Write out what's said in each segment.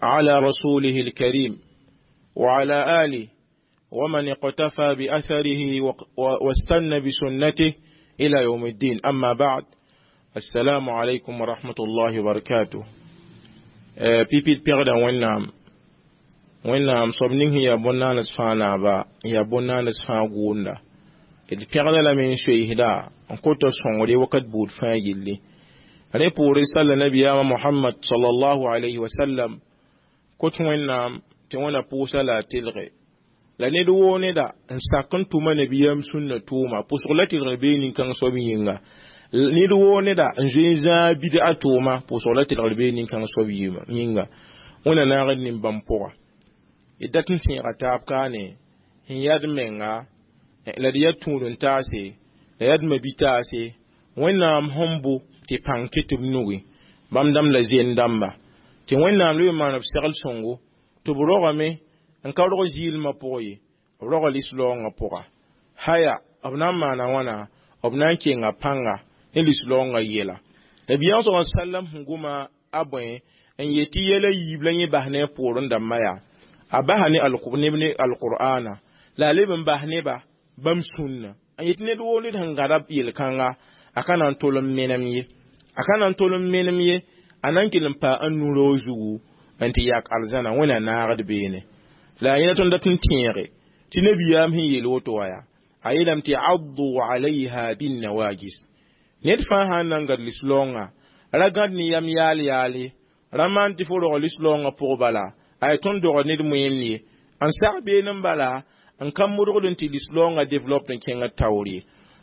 على رسوله الكريم وعلى آله ومن اقتفى بأثره واستنى بسنته إلى يوم الدين. أما بعد، السلام عليكم ورحمة الله وبركاته. Pipi pẽgda Wẽnnaam. Wẽnnaam soab ning sẽn yaa bõn-naans fãa naaba, n yaa bõn-naans fãa gʋʋnda. D pẽgda lame n soeesda n kota sõngre wakat buud fãa gilli. Rẽ poore salla nabiyaamã Mohamad sallallahu alayhi wa sallam, kot Wẽnnaam tɩ Wẽnna pʋʋsa la a telge la ned woo neda n sak n tʋma nabiyaam sũnna tʋʋma pʋsg la tɩlgr bee nin-kãng soab yĩnga. Ned woo neda n zoe n zãag bid'a tʋʋma pʋsg la tɩlgr bee nin-kãng soab yĩnga. Wẽnna naagd nin-bãmb pʋga. D dat n tẽega taab kaane sẽn yad menga la d yaa tũud n taase la yaa d mabi-taase Wẽnnaam sẽn bo tɩ pãng kɩ tɩ b nugi bãmb dãmb la zen dãmba tɩ Wẽnnaam leb n maan b segl sõngo tɩ b rogame n ka rog zɩɩlmã pʋgẽ ye, b roga lislaoongã pʋga. Haya, b na n maana wãna, b na n kenga pãnga ne lislaoongã yɛla. Nabiyaam sa sallam sẽn goma a bõe n yet tɩ yɛla yiib la yẽ bas ne a poorẽ dãmbã yaa a basa ne neb ne alqur'ana la a leb n bas neba bãmb sũnna n yet ned woo ned sẽn gãda yel-kãnga a ka na n tol n menem ye, a ka na n tol n menem ye, a na n kell n paa n nu-roog zugu n tɩ yak arzãna. Wẽnna naagd beene la a yẽna tõnd dat n tẽege tɩ nabiyaam sẽn yeel woto wa yaa a yeelame tɩ addu alayha binnawajis. Ned fãa sã n na n gãd lislaoongã ra gãd ne yam yaal yaal ye, ra maan tɩ fo rog lislaoongã pʋg bala ay tõnd dogd ned moeem ye n sag been n bala n ka modgd n tɩ lislaoongã develop n kẽngd taoor ye.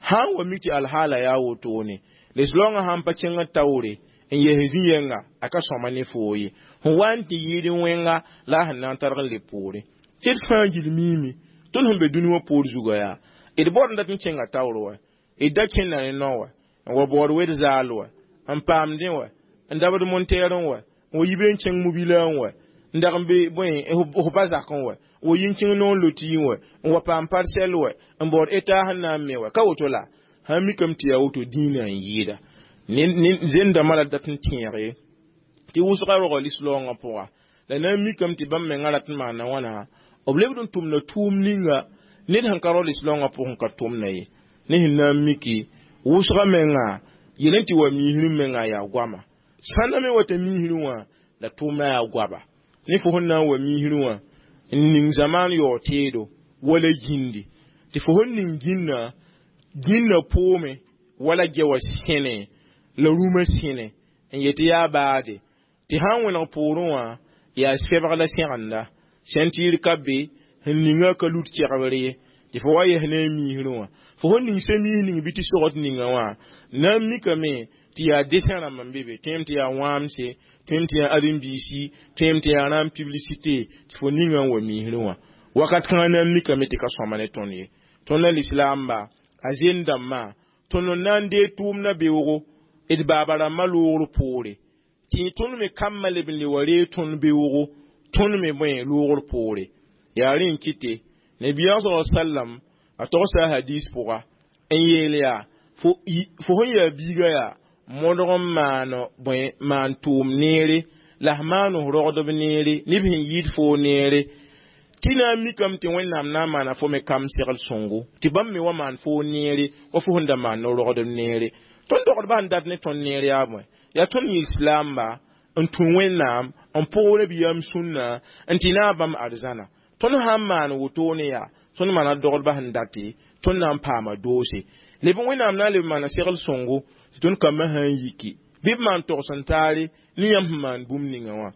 Sã n wa mik tɩ alhaala yaa wotone, lislaoongã sãn pa kẽngd taoore n yes zĩ-yɛnga a ka sõma ne foo ye, sẽn wa n tɩ yɩɩd wẽnga la a sẽn na n targ n le poore tɩ d fãa gil miime. Tõnd sẽn be dũni wã poor zuga yaa d baood n dat n kẽnga taoor wa, d da kẽnda ne nao wa n wa baood wed zaal wa n paamdẽ wa n dabd montɛɛrẽ wa n wa yi be n kẽng mobila n wa n dag n be bõe f ba zakẽ wa wa yi n kẽng noor loti wa n wa paam parsɛl wa n baood eta sẽn na n me wa ka woto la sãn mikame tɩ yaa woto dĩinã n yɩɩda. Zẽn-dãmbã la dat n tẽege tɩ wʋsga roga lislaoongã pʋga la na n mikame tɩ bãmb mengã rat n maana wãna b lebd n tʋmda tʋʋm ninga ned sẽn ka rao lislaoongã pʋgẽ ka tʋmda ye. Ne sẽn na n miki wʋsga menga yel n tɩ wa miisrẽ menga yaa goama sãnda me wata miisrẽ wã la tʋʋmã yaa goaba ne fo sẽn na n wa miisrẽ wã n ning zamaan yaoog teedo wala gĩndi tɩ fo sẽn ning gĩnnã gĩnnã poome wala gɛ wa sẽne la rũmã sẽne n yet tɩ yaa baade tɩ sã n wẽneg poorẽ wã yaa sɛbg la sẽgenda sẽn-tɩɩr ka be sẽn ninga ka lut kɛgbr ye tɩ fo wa yes ne a miisrẽ wã fo sẽn ning sẽn-miis ning bɩ tɩ sogd ninga wã na n mikame tɩ yaa desẽ rãmb n be be tõem tɩ yaa wãamse, tõem tɩ yaa ãdem-biisi, tõem tɩ yaa rãmb publicité tɩ fo ninga n wa miisrẽ wã wakat kãngã na n mikame tɩ ka sõma ne tõnd ye. Tõnd la lislaamba a zen dãmbã tõnd n na n deeg tʋʋmdã beoogo d baaba rãmbã loogr poore tɩ tõnd me kambã leb n le wa reeg tõnd beoogo tõnd me bõe loogr poore. Yaa rẽ n kɩte nabiyaam sa sallam a togsa a hadis pʋga n yeel yaa fo sẽn yaa biiga yaa modg n maan bõe maan tʋʋm neere la f maan f rogdb neere neb sẽn yɩɩd foo neere tɩ na n mikame tɩ Wẽnnaam na n maana fo me kam segl sõngo tɩ bãmb me wa maan foo neere wa fo sẽn da maan no-rogdb neere. Tõnd dogdbã sẽn dat ne tõnd neer yaa bõe yaa tõnd lislaamba n tũ Wẽnnaam n pʋg nabiyaam sũnna n tɩ naag bãmb arzãna. Tõnd sã n maan wotone yaa tõnd maana dogdbã sẽn date tõnd na n paama doose leb Wẽnnaam na n leb maana segl sõngo tɩ tõnd kambã sã n yiki bɩ b maan togs n taare ne yãmb sẽn maan bũmb ninga wã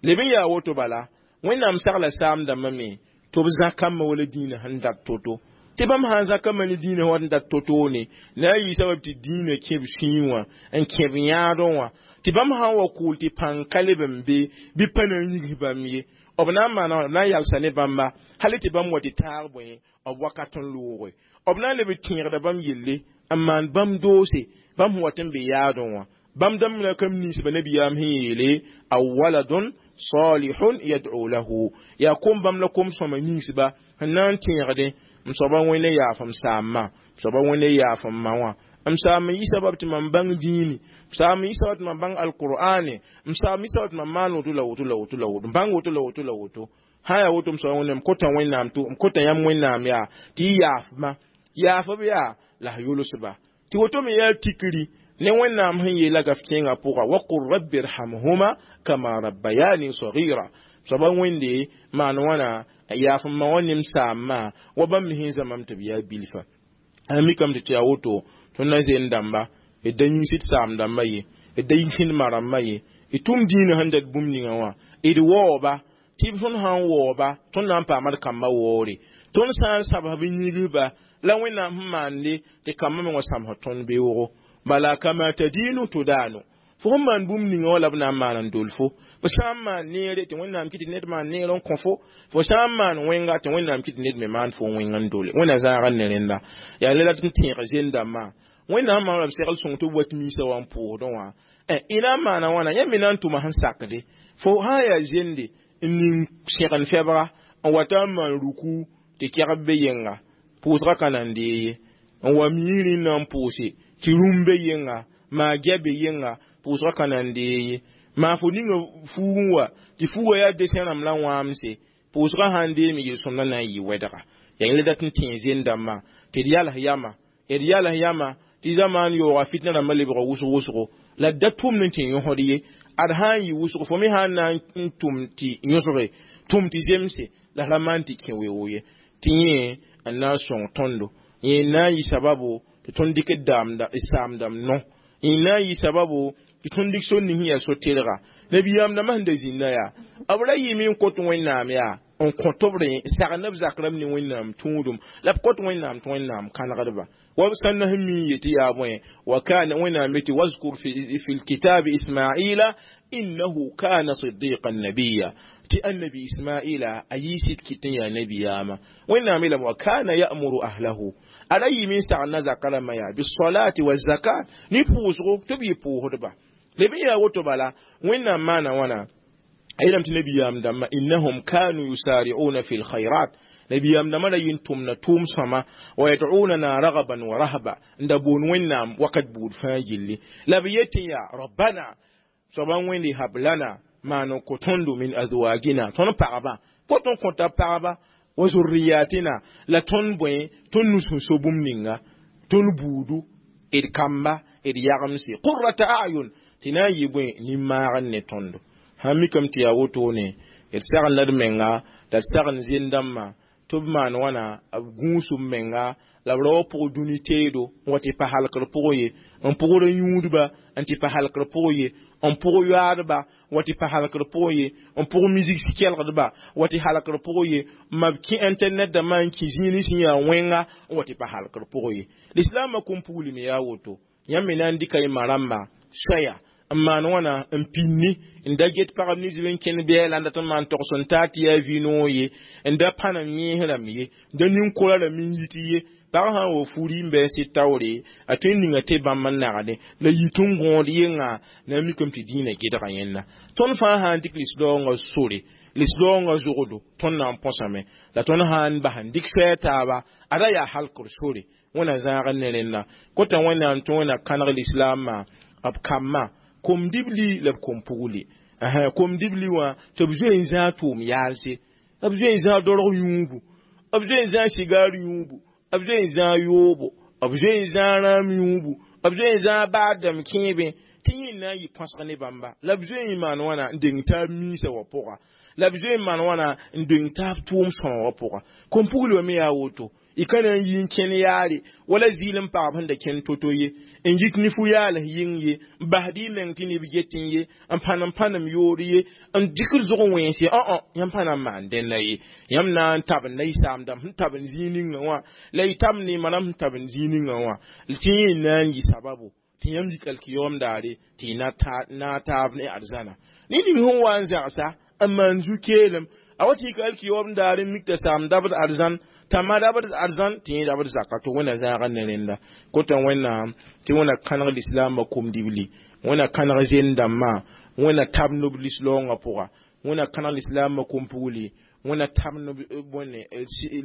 leb n yaa woto bala Wẽnnaam sagla saam dãmbã me tɩ b zã kambã wala dĩinã sẽn dat to-to tɩ bãmb sã n zã kambã ne dĩinã wa n dat to-toone la a yɩ sabab tɩ dĩinã kẽb sũyẽ wã n kẽb yãadẽ wã tɩ bãmb sã n wa kʋʋl tɩ pãng ka leb n be bɩ pa na n yigs bãmb ye b na n maana b na n yalsa ne bãmba hal tɩ bãmb wa tɩ taag bõe b wakat n looge b na n leb n tẽegda bãmb yelle n maan bãmb doose bãmb sẽn wat n be yaadẽ wã bãmb dãmb la kam ninsba nabiyaam sẽn yeele aw waladun salihun yad'u lahu yaa kom bãmb la kom sõma ninsba sẽn na n tẽegdẽ m soaba Wẽnde yaaf m saamã, m soaba Wẽnde yaaf m ma wã. M saam n yɩ sabab tɩ mam bãng dĩini, m saam n yɩ sabab tɩ mam bãng alqur'ane, m saam n yɩ sabab tɩ mam maan woto la woto la woto la woto, n bãng woto la woto la woto. Sã n yaa woto, m soaba Wẽnnaam, m kota Wẽnnaam tɩ m kota yãmb Wẽnnaam yaa tɩ y yaafma, yaaf b yaa la f yʋlsba tɩ woto me yaa tikri ne Wẽnnaam sẽn yeela gaf kẽengã pʋga: waqul rabbi rhamhuma kama rabbayani sagira. Soaba Wẽnde, maan wãna yaaf n ma wã ne m saamma wa bãmb me sẽn zãmam tɩ b yaa bilfa. A mikame tɩ yaa woto, tõnd na zen dãmba d da yĩns d saam dãmba ye, d da yĩns d ma rãmba ye, d tʋm dĩinã sẽn dat bũmb ninga wã, d waooba tɩ tõnd sã n waooba, tõnd na n paama d kambã waoore. Tõnd sã n sabs b yĩgsba la Wẽnnaam sẽn maande tɩ kambã me wã sãmsd tõnd beoogo. Bala kama tadinu tudanu, fo sẽn maan bũmb ninga wã la b na n maan n dol fo. Fo sã n maan neere tɩ Wẽnnaam kɩ tɩ ned maan neer n kõ fo, fo sã n maan wẽnga tɩ Wẽnnaam kɩ tɩ ned me maan fo wẽng n dole. Wẽnna zãag n ne rẽnda yaa le la tɩ n tẽeg zend-dãmbã. Wẽnnaam maan la b segl sõng tɩ b wat miisã wã n pʋʋsdẽ wã. Y na n maana wãna, yãmb me na n tʋma sẽn sakde. Fo sã n yaa zende n ning sẽgen fɛbga n wata n maan ruku tɩ kɛgb be yẽnga, pʋʋsgã ka na n dee ye. N wa miirẽ n na n pʋʋse tɩ rũm be yẽnga, maa gɛ be yẽnga, pʋʋsgã ka na n dee ye. Maa fo ninga fuug n wa tɩ fuugã yaa desẽ rãmb la wãamse, pʋʋsgã sã n deeme, yel-sõmdã na n yɩ wɛdga. Yaa yẽla dat n tẽ zend-dãmbã tɩ d yals yama, d yals yama tɩ zamaan yaooga fitna rãmbã lebga wʋsg wʋsgo, la d da tʋmd n tɩ yõsd ye. Ad sã n yɩ wʋsg, fo me sã n na n tʋm tɩ yõsge, tʋm tɩ zemse, la ra maan tɩ kẽ weoog ye. Tɩ yẽ n na n sõng tõndo, yẽ n na n yɩ sababo tɩ tõnd dɩk d saamdãmb no, yẽ n na n yɩ sababo tɩ tõnd dɩk sor ning sẽn yaa so-tɩrga. Nabiyaam dãmbã sẽn da zĩnda yaa, b ra yɩɩme n kot Wẽnnaam yaa n kõ tɩ b rẽ sagn b zak rãmb ne Wẽnnaam tũudum, la b kot Wẽnnaam tɩ Wẽnnaam kãnegdba wa b sãn na sẽn mi n yetɩ yaa bõe wa kana. Wẽnnaam yetɩ: wazkur fi lkitabi Ismaila innahu kana sidiqan nabiya. Tɩ annabi Ismaila a yiisid kɩt n yaa nabiyaamã. Wẽnnaam yeelame: wa kana ya'muru ahlahu, a ra yɩɩme n sagn na zaka rãmbã yaa bisolati wa zakat, ne pʋʋsgo tɩ b yɩ pʋʋsdba. Leb n yaa woto bala, Wẽnnaam maana wãna, a yeelame tɩ nabiyaam dãmbã innahum kanu yusari'una fi lkhairat, nabiyaam dãmbã ra yɩ n tʋmna tʋʋm sõma, wa yad'unana ragaban wa rahba, n da boon Wẽnnaam wakat buud fãa gilli, la b yetɩ yaa rabbana, soaba Wẽnde, hab lana, maan n kõ tõndo, min azwagina, tõnd pagba, kot n kõta pagba, wa zurriyatina, la tõnd bõe, tõnd nus sẽn so bũmb ninga, tõnd buudu, d kamba, d yagemse, qurrata ayun, tɩ na n yɩ bõe, nin-maag n ne tõndo. Sã n mikame tɩ yaa wotone, d sagn la d menga, la d sagn zend-dãmbã tɩ b maan wãna b gũus b menga, la b ra wa pʋg dũni teedo n wa tɩ pa halkr pʋgẽ ye, n pʋgr yũudba n tɩ pa halkr pʋgẽ ye, n pʋg yoaadba wa tɩ pa halkr pʋgẽ ye, n pʋg misik kelgdba wa tɩ halkr pʋgẽ ye, ma b kẽ internet dãmbã n kẽ zĩig sẽn yaa wẽnga n wa tɩ pa halkr pʋgẽ ye. Lislaamã kom puglime yaa woto, yãmb me na n dɩka y ma rãmba soaya n maan wãna n pinni n da get pagb nins b n kẽnd bɛɛla n dat n maan togs n taa tɩ yaa vi-noog ye, n da pãnem yẽes rãmb ye, n da nin-kora rãmb n yit ye. Pag sã n wa furi n bɩ n sɩd taoore, a tõe n ninga tɩ bãmb n nagde la yit n gõod yengã na n mikame tɩ dĩinã gedga yẽnda. Tõnd fãa sã n dɩk lis-raoongã sore, lis-raoongã zogdo, tõnd na n põsame. La tõnd sã n bas n dɩk soɛɛ taaba, a ra yaa halkr sore. Wẽna zãag n ne rẽnda kota Wẽnnaam tɩ Wẽnna kãneg lislaamã b kambã kom dibli la b kom pugli kom dibli wã tɩ b zoe n zãag tʋʋm yaalse, b zoe n zãag dorg yũubu, b zoe n zãag sigaar yũubu, b zoe n zãag yoobo, b zoe n zãag rãam yũubu, b zoe n zãag baadame kẽebẽ, tɩ yẽ na n yɩ põsg ne bãmba, la b zoe n maan wãna n deng taab miisã wã pʋga, la b zoe n maan wãna n deng taab tʋʋm sõma wã pʋga. Kom pugli wã me yaa woto, y ka na n yi n kẽn yaare wala zɩɩl n pagb sẽn da kẽnd to-to ye, n yik ne fu-yaals yɩng ye, n basd y meng tɩ neb getẽ ye, n pãnem pãnem yoor ye, n dɩk d zʋg wẽns ye. Õ yãmb pa na n maan dẽnna ye. Yãmb na n tabenda y saamdãmb sẽn tabend zĩig ninga wã, la y tabend y ma rãmb sẽn tabend zĩig ninga wã, tɩ yẽ na n yɩ sababo tɩ yãmb yik alkiyoom daare tɩ y na taab ne arzãna. Ne ning sẽn wa n zãgsa n maan zu-keelem, a wa tɩ yik alkiyoom daare n mik t'a saam dabd arzãn, t'a ma dabd arzãn, tɩ yẽ dabd zaka tɩ Wẽnna zãag n ne rẽnda. Kota Wẽnnaam tɩ Wẽnna kãneg lislaambã kom-dibli, Wẽnna kãneg zend dãmbã, Wẽnna tab nob lislaoongã pʋga, Wẽnna kãneg lislaambã kom-pugli, Wẽnna tabend bõne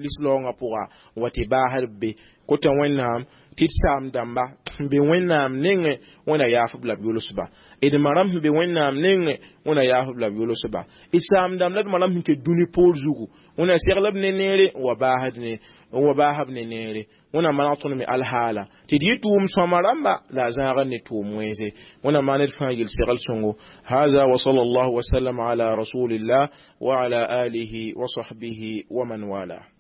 lislaoongã pʋga wa tɩ baasd be kota Wẽnnaam tɩ d saam dãmba n be Wẽnnaam nengẽ, Wẽnna yaaf-b la b yʋlsba. D ma rãmb sẽn be Wẽnnaam nengẽ, Wẽnna yaaf-b la b yʋlsba. D saam dãmb la d ma rãmb sẽn ket dũni poor zugu, Wẽnna segl b ne neere n wa baasd ne n wa baasb ne neere. Wẽnna maneg tõnd me alhaala tɩ d yɩ tʋʋm sõama rãmba la a zãagr ne tʋʋm wẽnse. Wẽnna maan d fãa yel segl sõngo. Haza wa sallallahu wasallam ala rasulillah wa ala alihi wa sahbihi wa man wala.